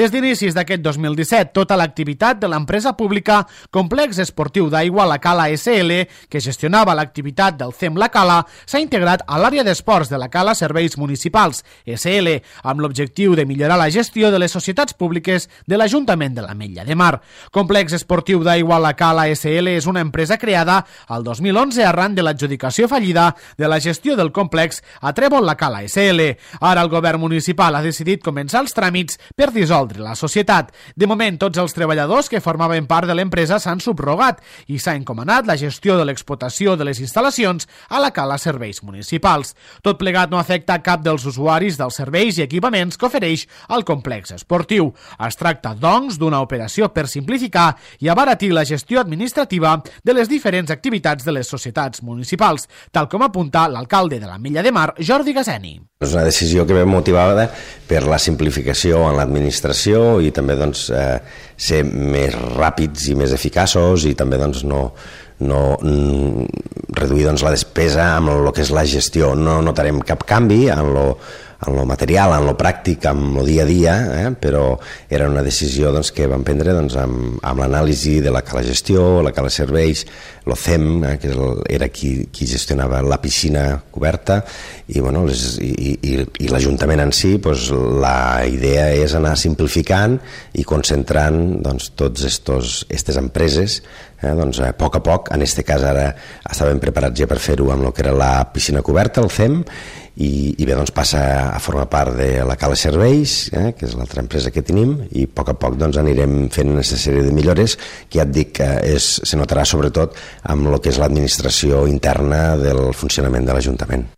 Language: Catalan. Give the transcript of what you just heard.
Des d'inicis d'aquest 2017, tota l'activitat de l'empresa pública Complex Esportiu d'Aigua La Cala SL, que gestionava l'activitat del CEM La Cala, s'ha integrat a l'àrea d'esports de La Cala Serveis Municipals SL, amb l'objectiu de millorar la gestió de les societats públiques de l'Ajuntament de l'Ametlla de Mar. Complex Esportiu d'Aigua La Cala SL és una empresa creada al 2011 arran de l'adjudicació fallida de la gestió del complex a Trèvol La Cala SL. Ara el govern municipal ha decidit començar els tràmits per dissoldre la societat. De moment, tots els treballadors que formaven part de l'empresa s'han subrogat i s'ha encomanat la gestió de l'explotació de les instal·lacions a La Cala Serveis Municipals. Tot plegat no afecta cap dels usuaris dels serveis i equipaments que ofereix el complex esportiu. Es tracta, doncs, d'una operació per simplificar i abaratir la gestió administrativa de les diferents activitats de les societats municipals, tal com apunta l'alcalde de l'Ametlla de Mar, Jordi Gaseni. És una decisió que ve motivada per la simplificació en l'administració i també ser més ràpids i més eficaços i també reduir la despesa amb el que és la gestió. No notarem cap canvi en lo material, en lo pràctic, en lo dia a dia, però era una decisió que vam prendre amb l'anàlisi de la Cala Gestió, la Cala Serveis, el CEM, que era qui gestionava la piscina coberta, i l'Ajuntament en si. La idea és anar simplificant i concentrant totes aquestes empreses a poc a poc. En aquest cas ara estàvem preparats ja per fer-ho amb el que era la piscina coberta, el CEM, i bé, passa a formar part de la Cala Serveis, que és l'altra empresa que tenim, i a poc anirem fent una sèrie de millores que ja et dic que se notarà sobretot amb el que és l'administració interna del funcionament de l'Ajuntament.